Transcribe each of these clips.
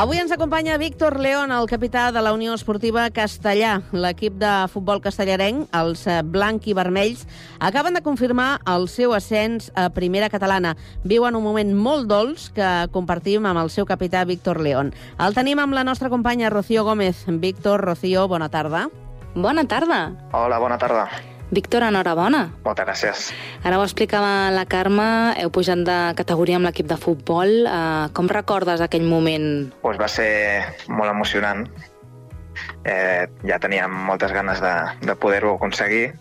Avui ens acompanya Víctor León, el capità de la Unió Esportiva Castellà. L'equip de futbol castellarenc, els blanc i vermells, acaben de confirmar el seu ascens a Primera Catalana. Viuen un moment molt dolç que compartim amb el seu capità Víctor León. El tenim amb la nostra companya Rocío Gómez. Víctor, Rocío, bona tarda. Bona tarda. Hola, bona tarda. Víctor, enhorabona. Moltes gràcies. Ara ho explicava la Carme, heu pujat de categoria amb l'equip de futbol. Com recordes aquell moment? Pues va ser molt emocionant. Ja teníem moltes ganes de poder-ho aconseguir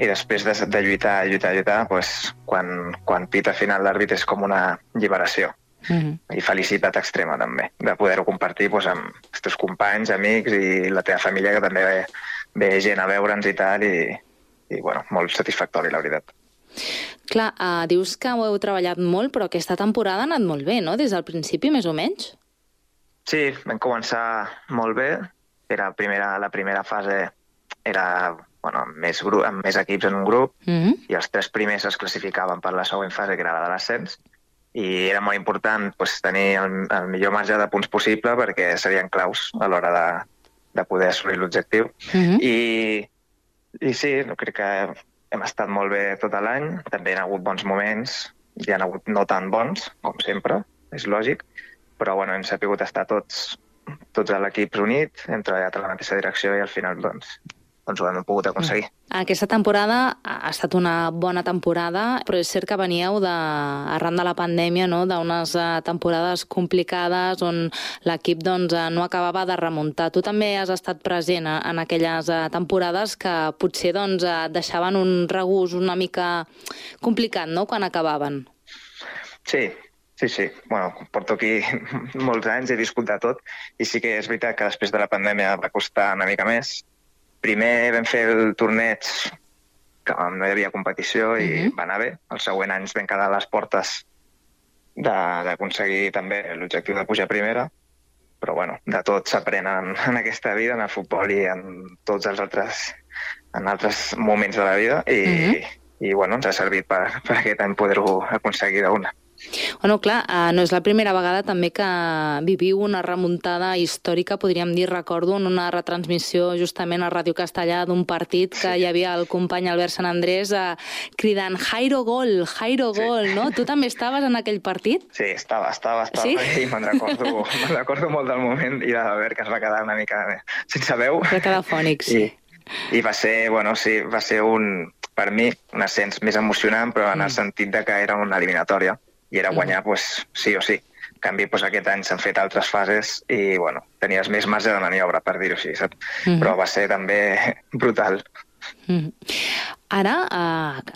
i després de lluitar, pues, quan pita final l'àrbit és com una lliberació. I felicitat extrema també, de poder-ho compartir pues, amb els teus companys, amics i la teva família, que també ve gent a veure'ns i tal, i bueno, molt satisfactori, la veritat. Clar, dius que ho heu treballat molt, però aquesta temporada ha anat molt bé, no?, des del principi, més o menys? Sí, vam començar molt bé. La primera fase era amb més equips en un grup, i els 3 primers es classificaven per la següent fase, que era la de l'ascens, i era molt important tenir el millor marge de punts possible perquè serien claus a l'hora de poder assolir l'objectiu. I sí, crec que hem estat molt bé tot l'any. També hi ha hagut bons moments, hi ha hagut no tan bons, com sempre, és lògic, però hem sabut estar tots a l'equip unit, hem treballat a la mateixa direcció i al final ho hem pogut aconseguir. Aquesta temporada ha estat una bona temporada, però és cert que veníeu arran de la pandèmia, no?, d'unes temporades complicades on l'equip no acabava de remuntar. Tu també has estat present en aquelles temporades que potser deixaven un regust una mica complicat, no?, quan acabaven. Sí. Porto aquí molts anys, he viscut de tot, i sí que és veritat que després de la pandèmia va costar una mica més. Primer vam fer el torneig, que no hi havia competició i va anar bé. El següent any vam quedar a les portes d'aconseguir també l'objectiu de pujar a primera, però de tot s'aprèn en aquesta vida, en el futbol i en tots els altres moments de la vida, i ens ha servit per aquest any poder-ho aconseguir d'una. Bueno, clar, no és la primera vegada també que viviu una remuntada històrica, podríem dir, recordo, en una retransmissió justament a Ràdio Castellà d'un partit que hi havia el company Albert Sant Andrés cridant Jairo gol, no? Tu també estaves en aquell partit? Sí, estava, sí? I me'n recordo molt del moment i de l'Albert, que es va quedar una mica sense veu. Va quedar fònic, sí. I va ser, per mi, un ascens més emocionant, però en el sentit que era una eliminatòria. I era guanyar, sí o sí. En canvi, aquest any s'han fet altres fases i, tenies més marge de maniobra, per dir-ho així, saps? Però va ser també brutal. Ara,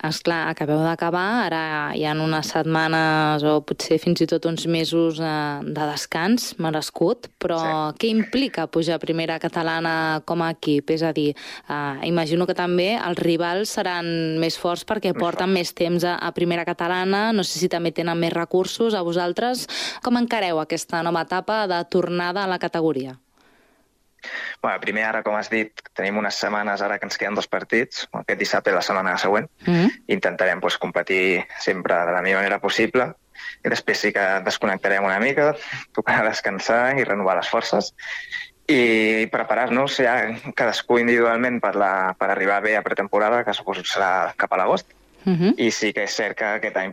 esclar, acabeu d'acabar, ara hi ha unes setmanes o potser fins i tot uns mesos de descans merescut, però què implica pujar a Primera Catalana com a equip? És a dir, imagino que també els rivals seran més forts perquè porten més temps a Primera Catalana, no sé si també tenen més recursos a vosaltres. Com encareu aquesta nova etapa de tornada a la categoria? Primer, ara, com has dit, tenim unes setmanes ara que ens queden 2 partits, aquest dissabte i la setmana següent. Intentarem competir sempre de la millor manera possible i després sí que desconnectarem una mica, tocarà descansar i renovar les forces i preparar-nos ja cadascú individualment per arribar bé a pretemporada, que suposo serà cap a l'agost. I sí que és cert que aquest any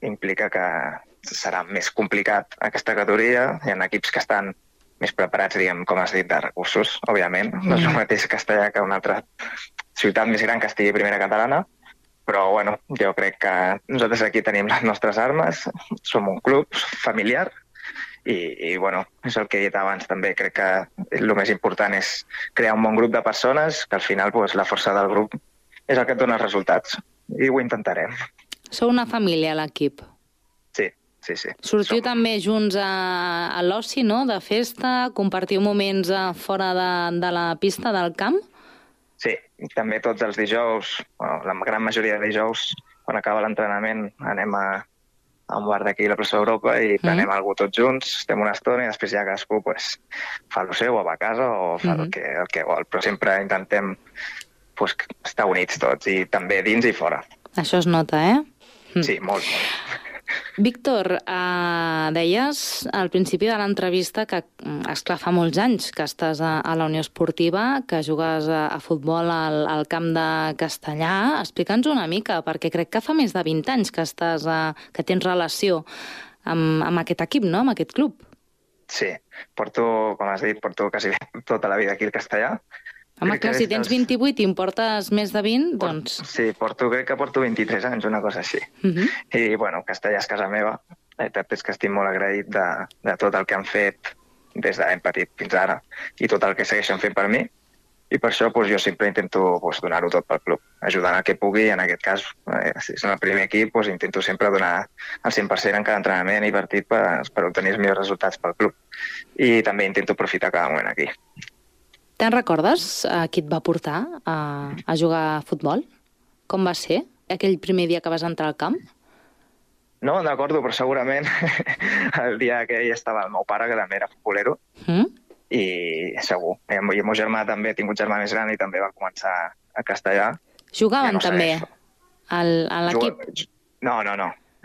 implica que serà més complicat aquesta categoria. Hi ha equips que estan més preparats, diguem, com has dit, de recursos, òbviament. No és el mateix Castellà que una altra ciutat més gran que estigui a Primera Catalana, però, jo crec que nosaltres aquí tenim les nostres armes, som un club familiar i és el que he dit abans també. Crec que el més important és crear un bon grup de persones, que al final la força del grup és el que et dona els resultats, i ho intentarem. Sou una família, l'equip? Sí. Sortiu també junts a l'oci, no?, de festa, compartiu moments fora de la pista, del camp? Sí, també tots els dijous, la gran majoria de dijous, quan acaba l'entrenament, anem a un bar d'aquí a la plaça d'Europa i prenem alguna tots junts, estem una estona i després ja cadascú fa el seu o va a casa o fa el que vol, però sempre intentem estar units tots, i també dins i fora. Això es nota, Sí, molt. Víctor, deies al principi de l'entrevista que, esclar, fa molts anys que estàs a la Unió Esportiva, que jugues a futbol al camp de Castellà. Explica'ns una mica, perquè crec que fa més de 20 anys que tens relació amb aquest equip, no?, amb aquest club. Sí, com has dit, porto quasi tota la vida aquí al Castellà. Home, clar, si tens 28 i em portes més de 20, doncs... Sí, crec que porto 23 anys, una cosa així. I, bueno, Castellà és casa meva. La veritat és que estic molt agraït de tot el que han fet des de ben petit fins ara i tot el que segueixen fent per mi. I per això jo sempre intento donar-ho tot pel club, ajudant el que pugui. En aquest cas, si és el primer equip, intento sempre donar el 100% en cada entrenament i partit per obtenir els millors resultats pel club. I també intento aprofitar cada moment aquí. Te'n recordes qui et va portar a jugar a futbol? Com va ser aquell primer dia que vas entrar al camp? No, me'n recordo, però segurament el dia que hi estava el meu pare, que també era futbolero, i segur. I el meu germà també, he tingut germà més gran i també va començar a Castellà. Jugaven també a l'equip? No.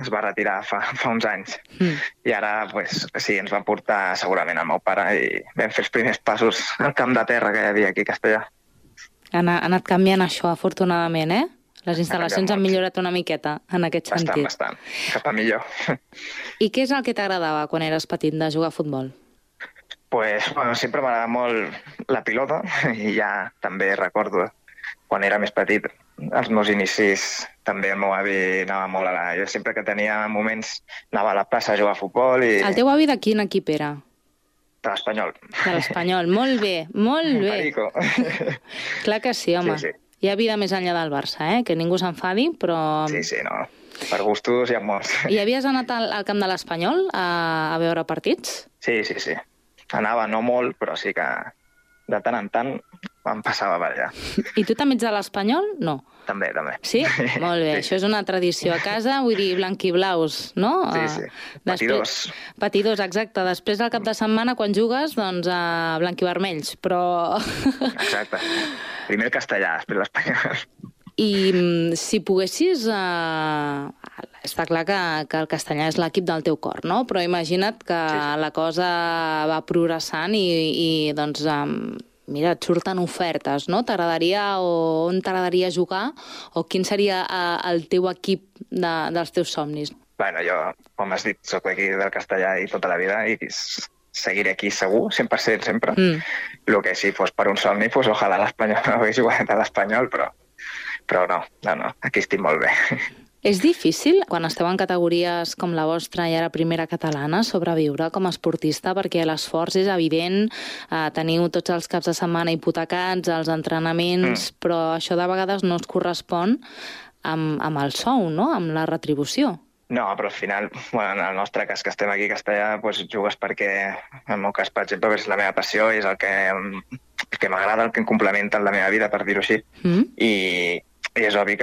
Es va retirar fa uns anys. I ara, sí, ens va portar segurament el meu pare i vam fer els primers passos al camp de terra que hi havia aquí a Castellà. Ha anat canviant això, afortunadament, eh? Les instal·lacions han millorat una miqueta en aquest sentit. Bastant. Cap a millor. I què és el que t'agradava quan eres petit de jugar a futbol? Sempre m'agrada molt la pilota i ja també recordo quan era més petit els meus inicis. També el meu avi anava molt jo sempre que tenia moments anava a la plaça a jugar a futbol i... El teu avi de quin equip era? De l'Espanyol. De l'Espanyol, molt bé, molt bé. Perico. Clar que sí, home. Sí. Hi ha vida més enllà del Barça, que ningú s'enfadi, però... Sí, no. Per gustos hi ha molts. I havies anat al camp de l'Espanyol a veure partits? Sí. Anava no molt, però sí que de tant en tant em passava per allà. I tu també ets de l'Espanyol? No. També. Sí? Molt bé, això és una tradició a casa, vull dir, blanquiblaus, no? Sí. Patidors. Patidors, exacte. Després, al cap de setmana, quan jugues, doncs blanquivermells, però... Exacte. Primer el Castellà, després l'Espanyol. I si poguessis... Està clar que el Castellà és l'equip del teu cor, no? Però imagina't que la cosa va progressant i doncs... Mira, et surten ofertes, no? On t'agradaria jugar o quin seria el teu equip dels teus somnis? Jo, com has dit, soc d'aquí del Castellà i tota la vida i seguiré aquí segur, 100% sempre. El que si fos per un somni, ojalà l'Espanyol no hagués jugat a l'Espanyol, però no, aquí estic molt bé. És difícil, quan esteu en categories com la vostra i ara primera catalana, sobreviure com a esportista, perquè l'esforç és evident, teniu tots els caps de setmana hipotecats, els entrenaments, però això de vegades no es correspon amb el sou, no?, amb la retribució. No, però al final, en el nostre cas que estem aquí a Castellà, jugues perquè, en el meu cas, per exemple, és la meva passió i és el que m'agrada, el que em complementa en la meva vida, per dir-ho així. I és obvi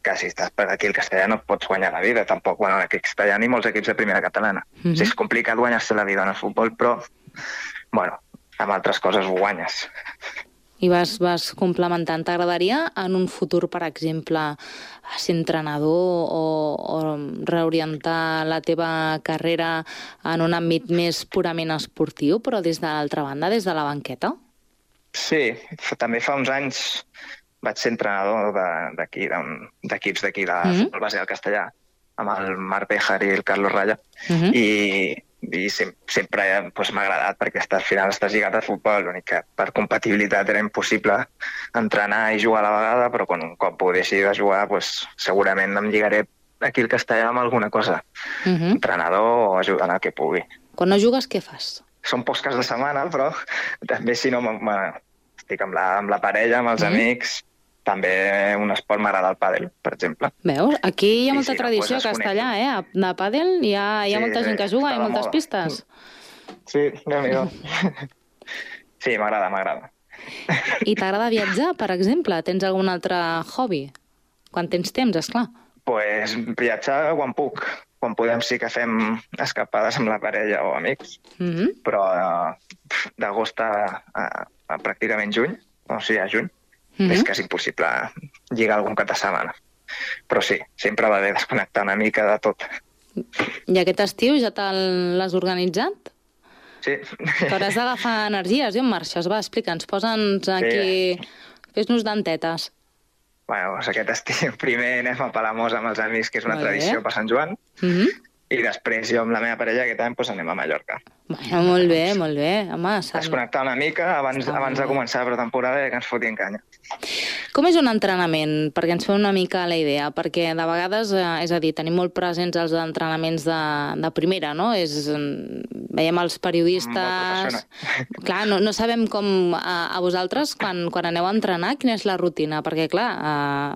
que si estàs per aquí al Castellà no pots guanyar la vida, tampoc en l'equip castellà ni molts equips de primera catalana. És complicat guanyar-se la vida en el futbol, però, amb altres coses ho guanyes. I vas complementant. T'agradaria en un futur, per exemple, ser entrenador o reorientar la teva carrera en un àmbit més purament esportiu, però des de l'altra banda, des de la banqueta? Sí, també fa uns anys vaig ser entrenador d'equips d'aquí de futbol base del Castellà, amb el Marc Béjar i el Carlos Raya, i sempre m'ha agradat perquè al final estàs lligat al futbol, l'únic que per compatibilitat era impossible entrenar i jugar a la vegada, però un cop ho deixi de jugar segurament em lligaré aquí al Castellà amb alguna cosa, entrenador o ajudant el que pugui. Quan no jugues, què fas? Són pocs caps de setmana, però també si no estic amb la parella, amb els amics. També un esport m'agrada el pàdel, per exemple. Veus? Aquí hi ha molta tradició a Castellà, de pàdel. Hi ha molta gent que juga, hi ha moltes pistes. Sí, Déu-n'hi-do. Sí, m'agrada. I t'agrada viatjar, per exemple? Tens algun altre hobby? Quan tens temps, esclar. Viatjar quan puc. Quan podem sí que fem escapades amb la parella o amics. Però d'agost a pràcticament juny, o sigui, a juny, és que és impossible lligar algun cap de setmana. Però sí, sempre va bé desconnectar una mica de tot. I aquest estiu ja te l'has organitzat? Sí. T'hauràs d'agafar energies, en marxes. Va, explica'ns, posa'ns aquí... Fes-nos dentetes. Bueno, doncs aquest estiu primer anem a Palamós amb els amics, que és una tradició per Sant Joan, i després jo amb la meva parella aquest any anem a Mallorca. Bueno, molt bé, molt bé. Home, desconnectar una mica abans de començar la pretemporada i que ens fotin canya. Com és un entrenament? Perquè ens feu una mica la idea, perquè de vegades, és a dir, tenim molt presents els entrenaments de primera, no? Veiem els periodistes... Clar, no sabem com a vosaltres, quan aneu a entrenar, quina és la rutina, perquè, clar,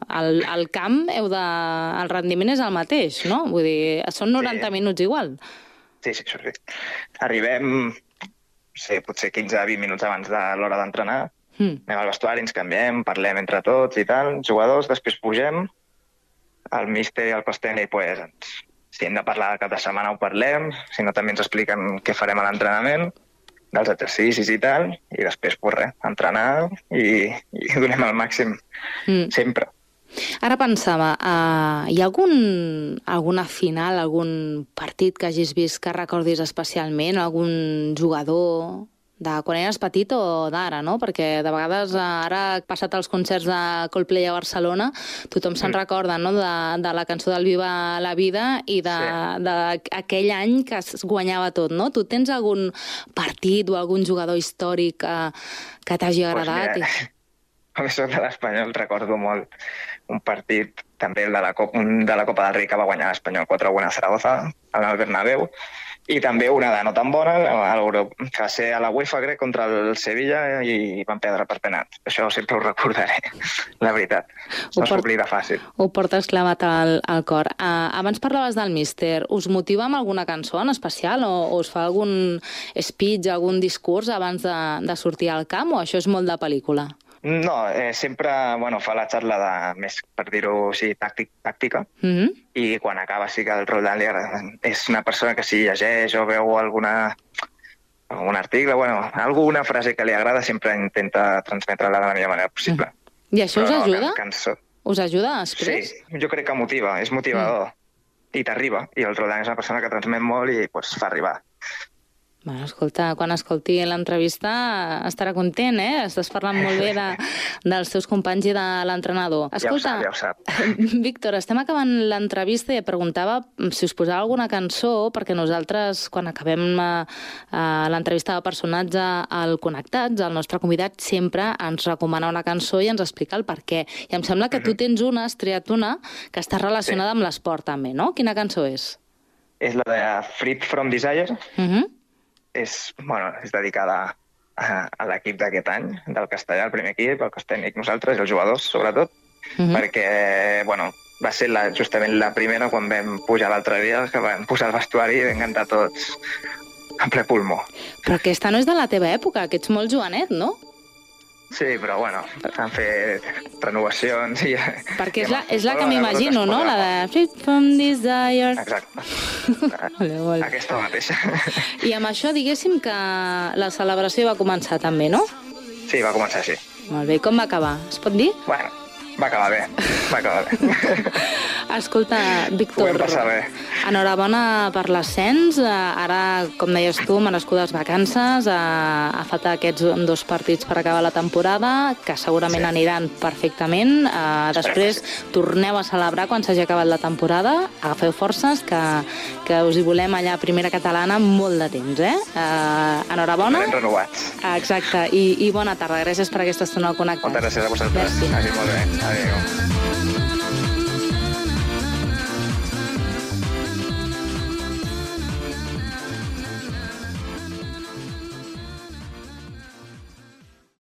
al camp el rendiment és el mateix, no? Vull dir, són 90 minuts igual. Sí. Arribem, potser 15-20 minuts abans de l'hora d'entrenar, anem al vestuari, ens canviem, parlem entre tots i tal, jugadors, després pugem, el míster i el cos tècnic, si hem de parlar cap de setmana ho parlem, si no també ens expliquen què farem a l'entrenament, dels exercicis i tal, i després, entrenar i donem el màxim sempre. Ara pensava, hi ha alguna final, algun partit que hagis vist que recordis especialment, algun jugador de quan eres petit o d'ara, no? Perquè de vegades ara, passat els concerts de Coldplay a Barcelona, tothom se'n recorda, no?, de la cançó del Viva la Vida i d'aquell any que es guanyava tot, no? Tu tens algun partit o algun jugador històric que t'hagi agradat? Com soc de l'Espanyol, recordo molt un partit, també el de la Copa del Rei, que va guanyar l'Espanyol 4-1 a Zaragoza, al Bernabéu, i també una de no tan bona, que va ser a la UEFA, crec, contra el Sevilla, i van perdre per penat. Això sempre ho recordaré, la veritat. No s'oblida fàcil. Ho portes clavat al cor. Abans parlaves del míster. Us motiva amb alguna cançó en especial o us fa algun speech, algun discurs abans de sortir al camp, o això és molt de pel·lícula? No, sempre fa la xarra més, per dir-ho així, tàctica, i quan acaba sí que el Roldán és una persona que si llegeix o veu algun article, alguna frase que li agrada, sempre intenta transmetre-la de la millor manera possible. I això us ajuda? Us ajuda després? Sí, jo crec que motiva, és motivador, i t'arriba, i el Roldán és una persona que transmet molt i fa arribar. Bueno, escolta, quan escolti l'entrevista estarà content, Estàs parlant molt bé dels teus companys i de l'entrenador. Escolta, ja ho sap. Víctor, estem acabant l'entrevista i et preguntava si us posava alguna cançó, perquè nosaltres, quan acabem l'entrevista de personatge al Connectats, el nostre convidat sempre ens recomana una cançó i ens explica el per què. I em sembla que tu has triat una que està relacionada amb l'esport també, no? Quina cançó és? És la de Freed from Desire. És dedicada a l'equip d'aquest any, del Castellà, el primer equip, el cos tècnic, nosaltres, i els jugadors, sobretot, perquè, va ser justament la primera quan vam pujar l'altre dia, que vam posar el vestuari i vam cantar tots a ple pulmó. Però aquesta no és de la teva època, que ets molt jovenet, no? Sí, però han fet renovacions i... Perquè és la que m'imagino, no? La de Freed from Desire. Exacte. Aquesta mateixa. I amb això, diguéssim que la celebració va començar també, no? Sí, va començar així. Molt bé, i com va acabar? Es pot dir? Bueno, va acabar bé. Escolta, Víctor, ho vam passar bé. Enhorabona per l'ascens. Ara, com deies tu, merescudes vacances. Falta aquests 2 partits per acabar la temporada, que segurament aniran perfectament. Després torneu a celebrar quan s'hagi acabat la temporada. Agafeu forces, que us hi volem allà a Primera Catalana molt de temps, Enhorabona. Estarem renovats. Exacte, i bona tarda. Gràcies per aquesta estona al Connectats. Moltes gràcies a vosaltres. Merci. Molt bé. Adéu.